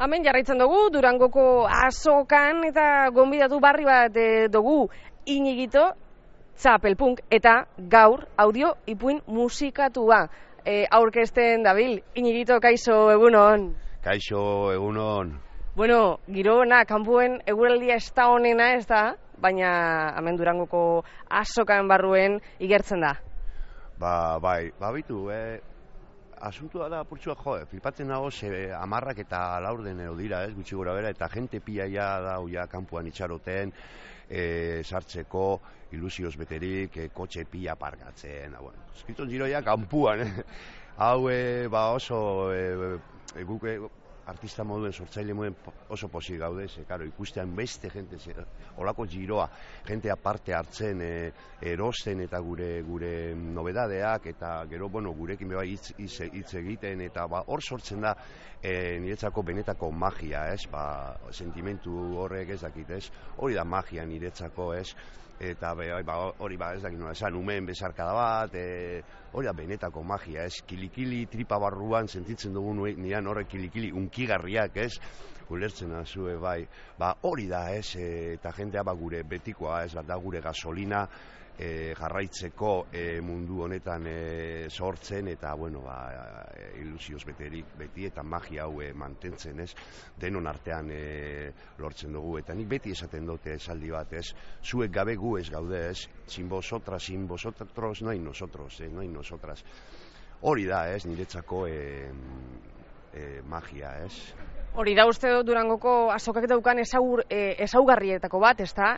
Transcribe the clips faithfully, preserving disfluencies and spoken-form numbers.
Hemen jarraitzen dugu, Durangoko azokan eta gonbidatu barri bat e, dugu Iñigito Txapelpunk eta gaur audio ipuin musikatua e, aurkezten dabil. Iñigito, kaixo, egunon. Kaixo, egunon. Bueno, giro ona, kanpuen eguraldia ez da honena, ez da, baina hemen Durangoko azokan barruen igertzen da. Ba, bai, ba, bitu, eh, asuntua da, purtsua, jo, flipatzen nago, ze amarrak eta laurden edo dira, ez, gutxi gora bera, eta jente pila ja da, uia, kanpuan itxaroten, e, sartzeko, ilusioz beterik, e, kotxe pila parkatzen, bueno, eskriton giroia kanpuan, eh? Hau, e, ba, oso, e, e, guke, artista moduen, sortzaile moduen oso posi gaude, ze, karo, ikustean beste jente, ze, olako giroa, jente aparte hartzen, e, erosten eta gure gure nobedadeak, eta gero, bueno, gurekin beba hitz, hitz, hitz egiten, eta ba, hor sortzen da, e, niretzako benetako magia, ez, ba, sentimentu horrek ez dakit, ez, hori da magia niretzako, ez, eta be, ba, hori ba, ez dakit nola esan, umeen bezarkada bat, e, hori da benetako magia, ez, kilikili tripa barruan sentitzen dugu nian horrek kilikili unkigarriak, ez, ulertzen azue, bai, ba, hori da, ez, e, eta jendea ba, gure betikoa, ez, da gure gasolina, e, jarraitzeko e, mundu honetan e, sortzen, eta, bueno, ba, e, ilusioz beterik beti, eta magia hau e, mantentzen, ez, denon artean e, lortzen dugu, eta nik beti esaten dute esaldi bat, ez, zuek gabe gu ez gaude, ez, sin vosotras, sin vosotros, no hay nosotros, eh, no hay nosotras. Hori da, ez, niretzako e, e, magia, ez. Hori da uste dut Durangoko azokak daukan ezagur, e, ezaugarrietako bat, ez da,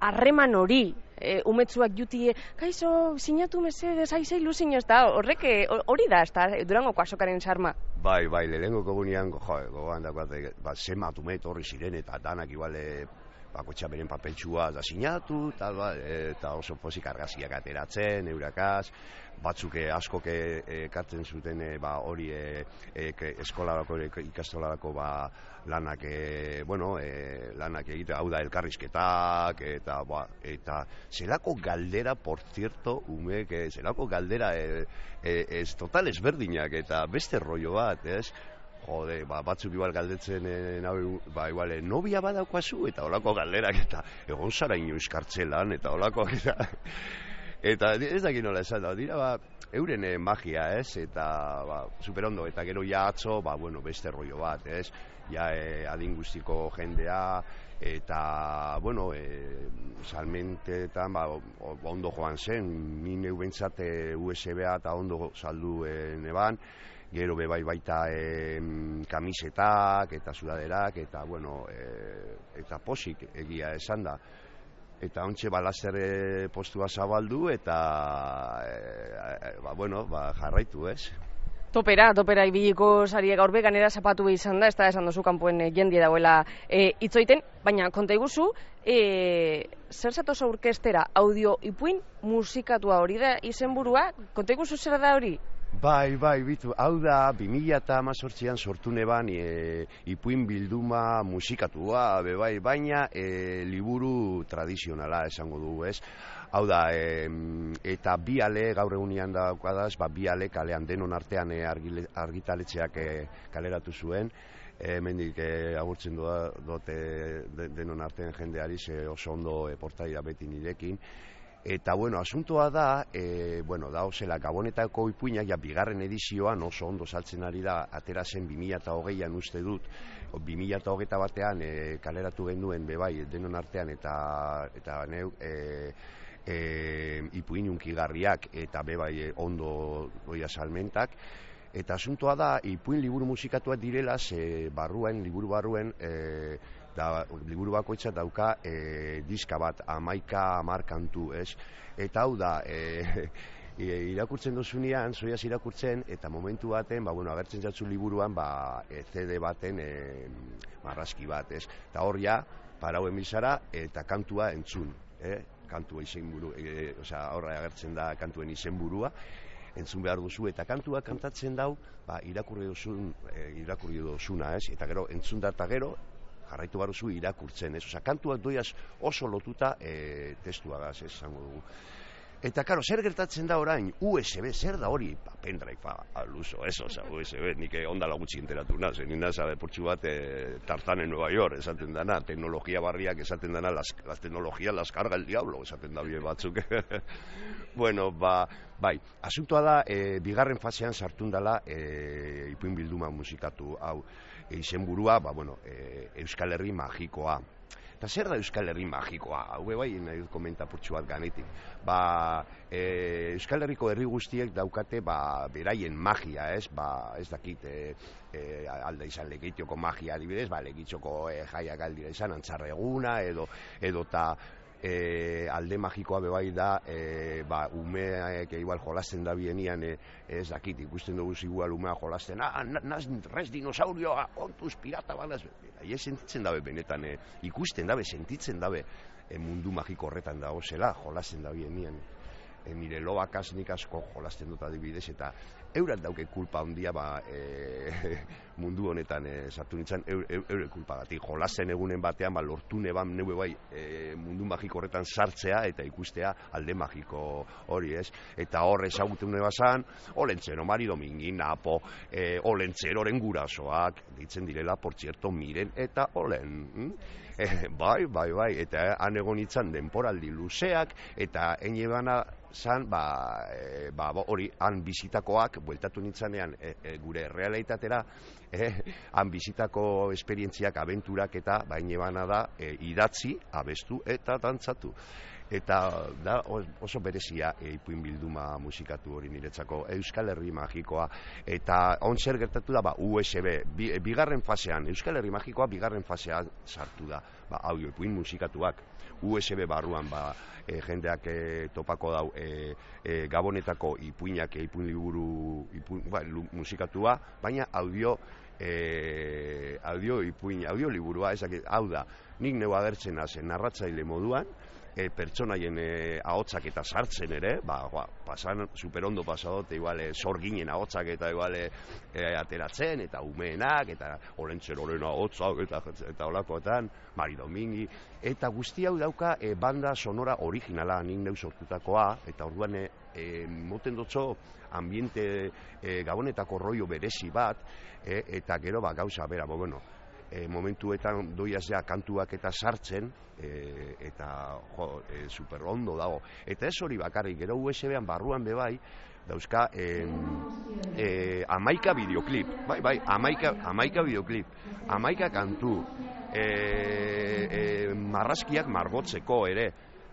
harreman e, hori, e, umetzuak jutie, kaixo, sinatu mesedez, aizei luzin, ez da, horrek hori da, ez da, Durangoko azokaren sarma. Bai, bai, lehenengoko gunean, jo, gogoan dagoat, ba, zemat umet horri ziren, eta danak iguale, bakotxa beren papeltxua da sinatu, eta, ba, eta oso pozik argaziak ateratzen, eurakaz, batzuk askok ekartzen zuten e, ba, hori e, e, eskolarako, ikastolarako ba, lanak, e, bueno, e, lanak egite, hau da elkarrizketak, eta, ba, eta zelako galdera, por cierto, umek, e, zelako galdera e, e, ez total ezberdinak, eta beste rollo bat, ez? Jode, ba, batzuk igual galdetzen, e, nabe, ba, igual, e, nobia badaukazu, eta olako galderak, eta egon zara inoiz kartzelan, eta olakoak, eta, eta ez dakit nola esan da, dira, ba, euren e, magia, ez, eta, ba, superondo, eta gero ja atzo, ba, bueno, beste rollo bat, ez, ja, e, adin guztiko jendea, eta, bueno, e, salmentetan, ba, ondo joan zen, ni neu bentsat e, U S B-a eta ondo saldu e, neban, gero be bai baita e, kamisetak eta sudaderak, eta, bueno, e, eta posik egia esan da. Eta ontxe balazer e, postua zabaldu, eta, e, ba, bueno, ba, jarraitu, ez? Topera, topera ibiliko sarie gaur be, ganera zapatu izan da, ez da esan duzu kanpoen e, jendie dagoela e, itzoiten, baina konta iguzu, e, zer zatoz aurkestera audio ipuin musikatua hori da izenburua, konta iguzu zer da hori? Bai, bai, bitu, hau da, bi mila hemezortzian sortu neban e, ipuin bilduma musikatua, be bai, baina e, liburu tradizionala esango dugu, ez? Hau da, e, eta bi ale gaur egunean daukadaz, ba, bi ale kalean denon artean e, argile, argitaletxeak e, kaleratu zuen, e, mendik e, agurtzen dote de, denon artean jendeari, ze oso ondo e, portaila beti nirekin. Eta, bueno, asuntoa da, e, bueno, da, ozela, Gabonetako ipuinak, ja, bigarren edizioan oso ondo saltzen ari da, atera zen bi mila hogeian uste dut, bi mila hogeita batean e, kaleratu genduen, bebai, denon artean, eta, eta neu, e, e, ipuin unkigarriak, eta bebai e, ondo goia salmentak, eta asuntoa da, ipuin liburu musikatuak direla, ze barruen, liburu barruen, e, da, liburu bakoitza dauka e, diska bat, amaika amar kantu, ez? Eta hau da, e, e, irakurtzen dozunean, zoiaz irakurtzen, eta momentu baten, ba, bueno, agertzen jatzu liburuan, ba, e, C D baten e, marrazki bat, ez? Eta hor ja, parauen bizara, eta kantua entzun, eh? Kantua izenburu, e, osea, horra agertzen da kantuen izenburua, entzun behar duzu, eta kantua kantatzen dau, ba, irakurri duzun, e, irakurri duzuna, ez? Eta gero, entzun da eta gero, jarraitu baruzu irakurtzen, ez? Osa, kantuak doiaz oso lotuta e, testuagaz, ez, zango dugu. Eta, karo, zer gertatzen da orain, U S B, zer da hori? Ba, pendrive, aluso, eso, oza, U S B, nik ondala gutxi enteratu naz, nik naz, portxu bat, e, Tarzan en Nueva York, esaten dana, teknologia barriak esaten dana, las, las teknologias las carga el diablo, esaten da bie batzuk. Bueno, ba, bai, asuntoa da, e, bigarren fasean sartun dela, e, ipuin bilduma musikatu, hau, e, izenburua, ba, bueno, e, Euskal Herri magikoa. Eta zer da Euskal Herri magikoa? Hau bai, nahi dut komenta purtsu bat ganetik. Ba, e, Euskal Herriko herri guztiek daukate ba, beraien magia, ez? Ba, ez dakit, e, e, alda izan Lekeitioko magia adibidez, ba, Lekeitioko e, jaiak aldira izan, Antzarreguna, edo, edo ta e, alde magikoa bebai da, e, ba, umeak igual jolasten da bienian, e, ez dakit, ikusten dugu igual umea jolasten, ah, naz res dinosaurioa, ontuz pirata banaz, aie sentitzen dabe benetan, e, ikusten dabe, sentitzen dabe, e, mundu magiko horretan dago zela, jolasten da bienian. E, nire lobakaz nik asko jolasten dut adibidez, eta eurat dauke kulpa handia ba, e, mundu honetan e, sartu nintzen, eure eur, kulpa gatik. Jolasten egunen batean ba, lortu neban neue bai e, mundu magiko horretan sartzea eta ikustea alde magiko hori, ez? Eta hor ezagutu nebazan, Olentzero, Mari Domingin, Napo, e, Olentzeroren gurasoak, deitzen direla, por cierto, Miren eta Olen. Hm? E, bai, bai, bai, eta han egon itzan denporaldi luzeak, eta ene bana zan, ba, e, ba, hori, han bizitakoak, bueltatu nintzanean e, e, gure realitatera, e, han bizitako esperientziak, abenturak eta, ba, ene bana da, e, idatzi, abestu eta dantzatu. Eta da oso berezia e, ipuin bilduma musikatu hori niretzako, Euskal Herri magikoa, eta on zer gertatu da, ba, U S B, bi, bigarren fasean, Euskal Herri magikoa bigarren fasean sartu da, ba, audio ipuin musikatuak, U S B barruan, ba, e, jendeak e, topako dau, e, e, Gabonetako ipuinak, e, ipuin liburu, ipuin, ba, musikatua, baina audio, e, audio ipuin, audio liburua, ezak, hau da, nik neu agertzen hazen narratzaile moduan, E, pertsonaien e, ahotsak eta sartzen ere, ba, ba, pasan, superondo pasadot, igual, e, sorginen ahotsak eta igual, e, ateratzen, eta umeenak, eta Olentzeroren ahotsak, eta, eta olakoetan, Mari Domingi, eta guzti hau dauka e, banda sonora originala, nik neu sortutakoa, eta orduan, e, e, moten dutzo, ambiente e, Gabonetako rollo berezi bat, e, eta gero, ba, gauza, bera, bo, bueno, E, momentuetan doiazea kantuak eta sartzen e, eta jo, e, super ondo dago eta ez hori bakarrik, gero U S B-an barruan bebai dauzka e, e, amaika bideoklip bai, bai, amaika, amaika bideoklip amaika kantu e, e, marrazkiak margotzeko ere.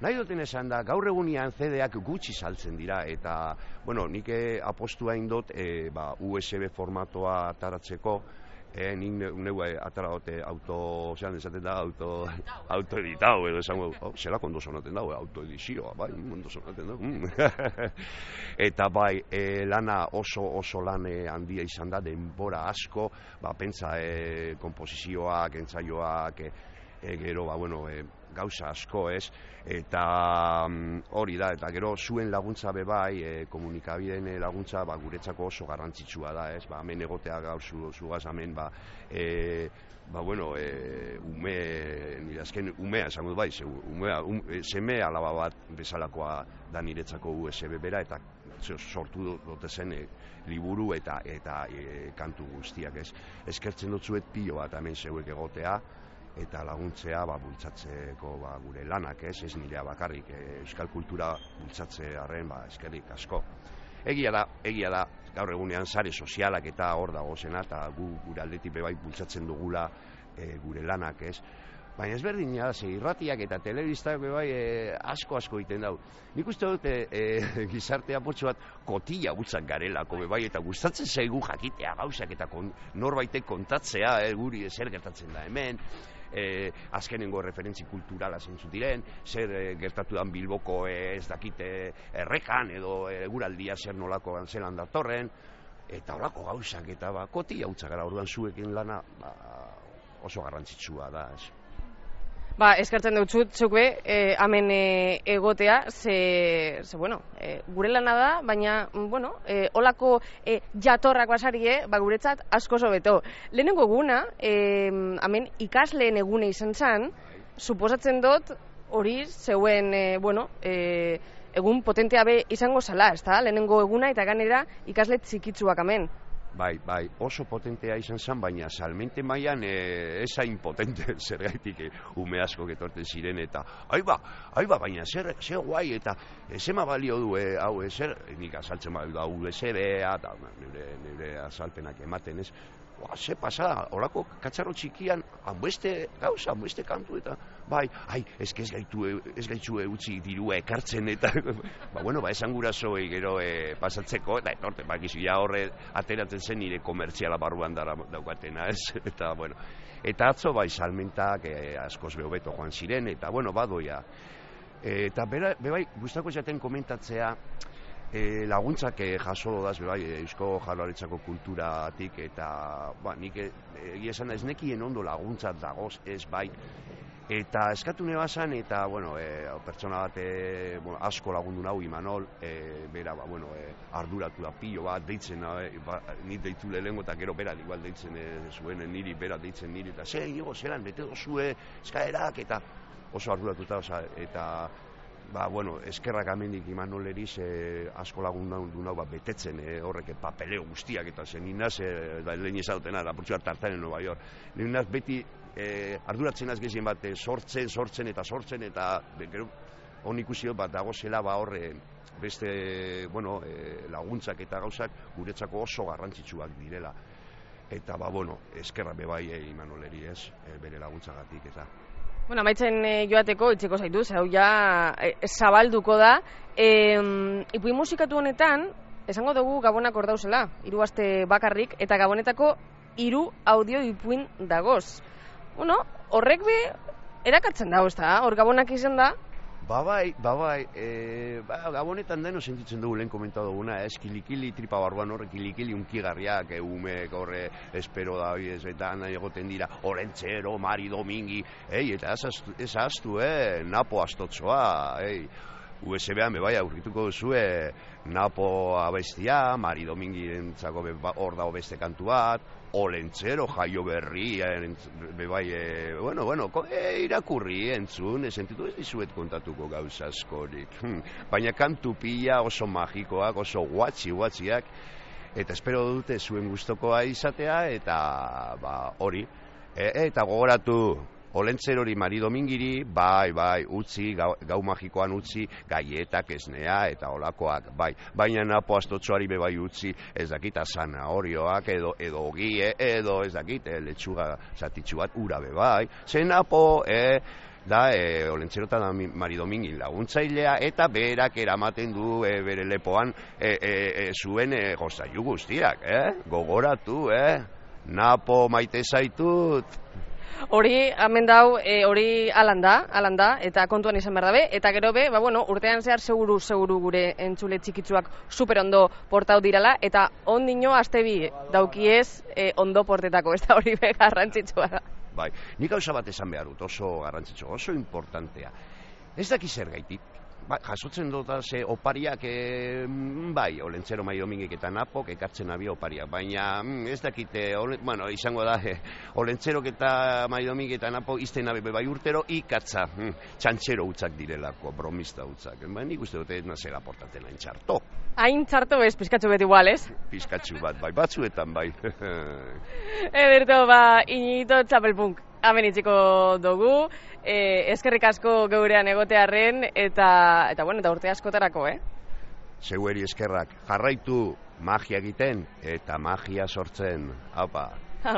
Nahi duten esan da, gaur egunian C D-ak gutxi saltzen dira, eta, bueno, nik apostua indot e, ba, U S B formatoa ataratzeko, E, nik neu atara dote auto, zean esaten da, auto, autoeditau, edo esan, oh, zelako ondo sonaten dago, autoedizioa, bai, ondo sonaten dago. Mm. Eta bai, e, lana oso oso lan handia izan da, denbora asko, ba, pentsa, e, komposizioak, entzaioak, e, e, gero, ba, bueno, e, gauza asko, ez, eta um, hori da, eta gero zuen laguntza bebai, e, komunikabideen laguntza, ba, guretzako oso garrantzitsua da, ez, ba, hemen egotea gaur zu, zugaz hemen, ba, e, ba, bueno, e, ume, nire azken umea, esango bai, ze, umea, um, seme alaba bat bezalakoa da niretzako U S B bera, eta sortu dute zen e, liburu eta, eta e, kantu guztiak, ez, eskertzen dut zuet pilo bat hemen zeuek egotea, eta laguntzea ba, bultzatzeko ba, gure lanak, ez, ez nirea bakarrik, e, euskal kultura bultzatzearen ba, eskerrik asko. Egia da, egia da, gaur egunean sare sozialak eta hor dago zena, eta gu gure aldetik bebai bultzatzen dugula e, gure lanak, ez. Baina ez berdina, ze irratiak eta telebistak bebai e, asko asko egiten dau. Nik uste dut e, e, gizartea potxo bat kotila gutzak garelako bebai, eta gustatzen zaigu jakitea gauzak eta kon, norbaitek kontatzea, e, guri zer gertatzen da hemen, E, azkenengo referentzi kulturala zentzu diren, zer e, gertatu dan Bilboko e, ez dakite errekan edo eguraldia zer nolako zelan datorren, eta horako gauzak eta ba, koti hautza gara orduan zuekin lana ba, oso garrantzitsua da. Ez. Ba, eskertzen dut zut, zukbe, e, hemen e, egotea, ze, ze bueno, e, gure lana da, baina, bueno, e, olako e, jatorrak basarie, ba, guretzat asko sobeto. Lehenengo eguna, e, hemen ikasleen egune izan zen, suposatzen dut, hori, zeuen, e, bueno, e, egun potentea be izango zala, ez da? Lehenengo eguna eta ganera ikasle txikitsuak hemen. Bai, bai, oso potentea izan zen, baina salmente mailan e, ez hain potente zergaitik e, ume asko getorten ziren eta aiba, aiba, baina zer, zer guai eta zema balio du, e, hau, e, zer, nik azaltzen bali da, U S B-a eta nire, nire azalpenak ematen ez, Oa, ze pasada, horako katxarro txikian, hanbeste gauza, hanbeste kantu eta, bai, ai, ez ez gaitu, ez gaitu utzi dirua ekartzen eta, ba, bueno, ba, esan gurasoei gero e, pasatzeko, eta etorte, bakizu, ja horre ateratzen zen nire komertziala barruan dara daukatena, ez, eta, bueno, eta atzo, bai, salmentak e, askoz behobeto joan ziren, eta, bueno, badoia, e, eta, bera, bebai, gustako jaten komentatzea, E, laguntzak e, jaso dodaz, bai, Eusko Jaurlaritzako kulturatik eta ba, nik egia esan ez nekien ondo laguntzat dagoz ez bai eta eskatu nebazan eta bueno, e, pertsona bat e, bueno, asko lagundu nahu Imanol e, bera ba, bueno, e, arduratu da pilo bat deitzen e, ba, nit deitu lehengo eta gero bera igual deitzen e, zuen niri, bera deitzen niri eta ze, higo, zelan, bete dozue eskaerak eta oso arduratuta oza, eta ba, bueno, eskerrak amendik Imanoleriz eh, asko lagun du nau ba, betetzen eh, horrek papeleo guztiak eta zen inaz, eh, da, lehen izautena, lapurtzu bat tartan en Nueva York. Lehen inaz beti eh, arduratzen az gezien bat eh, sortzen, sortzen eta sortzen eta gero hon ikusi bat dago zela ba horre beste bueno, eh, laguntzak eta gauzak guretzako oso garrantzitsuak direla. Eta ba, bueno, eskerra bebai eh, Imanoleri ez, eh, bere laguntzagatik eta. Bueno, amaitzen e, joateko itxeko zaitu, hau ja e, zabalduko da. E, ipuin musikatu honetan, esango dugu Gabonak hor dauzela, hiru aste bakarrik, eta Gabonetako hiru audio ipuin dagoz. Bueno, horrek be, erakartzen dago, ez da? Hor Gabonak izan da? Ba bai, ba bai, e, ba, Gabonetan deno sentitzen dugu lehen komentatu duguna, ez, kilikili tripa barruan horre, kilikili unkigarriak, e, umek horre, espero da, ez, eta nahi egoten dira, Olentzero, Mari Domingi, ei, eta ez ahaztu, eh, Napo astotzoa, ei, U S B-an bebai aurkituko duzue Napo abestia, Mari Domingirentzako hor dago beste kantu bat, Olentzero, Jaio Berri, bebai, e, bueno, bueno, e, irakurri entzun, e, sentitu ez dizuet kontatuko gauza askorik. Hm. Baina kantu pila oso magikoak, oso guatxi, guatxiak, eta espero dute zuen gustokoa izatea, eta ba, hori, e, eta gogoratu, Olentzerori Mari Domingiri, bai, bai, utzi, gau, gau magikoan utzi, gaietak, esnea, eta olakoak, bai. Baina Napo astotxoari bebai utzi, ez dakit, zanahorioak, edo, edo ogie, edo, ez dakit, e, letxuga zatitxu bat, ura bebai. Ze Napo, e, da, e, Olentzero eta Mari Domingi laguntzailea, eta berak eramaten du e, bere lepoan e, e, e, zuen e, gozailu guztiak, eh? Gogoratu, eh? Napo maite zaitut. Hori, hemen dau, e, hori alan da, alan da, eta kontuan izan behar dabe, eta gero be, ba, bueno, urtean zehar seguru, seguru gure entzule txikitzuak super ondo portau dirala, eta ondino aste bi daukiez e, ondo portetako, ez da hori be garrantzitsua da. Bai, nik gauza bat esan behar dut, oso garrantzitsua, oso importantea. Ez daki zer gaitik, ba, jasotzen dut ze opariak, e, bai, Olentzero, Mari Domingik eta Napok ekartzen abia opariak, baina mm, ez dakite, ole, bueno, izango da, e, Olentzerok eta Mari Domingik eta Napok izten abe bai urtero ikatza, mm, txantxero utzak direlako, bromista utzak, baina nik uste dute ez nazela portatzen hain txarto. Hain txarto bez, pizkatxo bet igual, ez? Pizkatxo bat, bai, batzuetan bai. Ederto, ba, Iñito Txapelpunk. Hemen itziko dugu, e, eskerrik asko geurean egotearren, eta, eta, bueno, eta urte askotarako, eh? Zeueri eskerrak, jarraitu magia egiten, eta magia sortzen, haupa.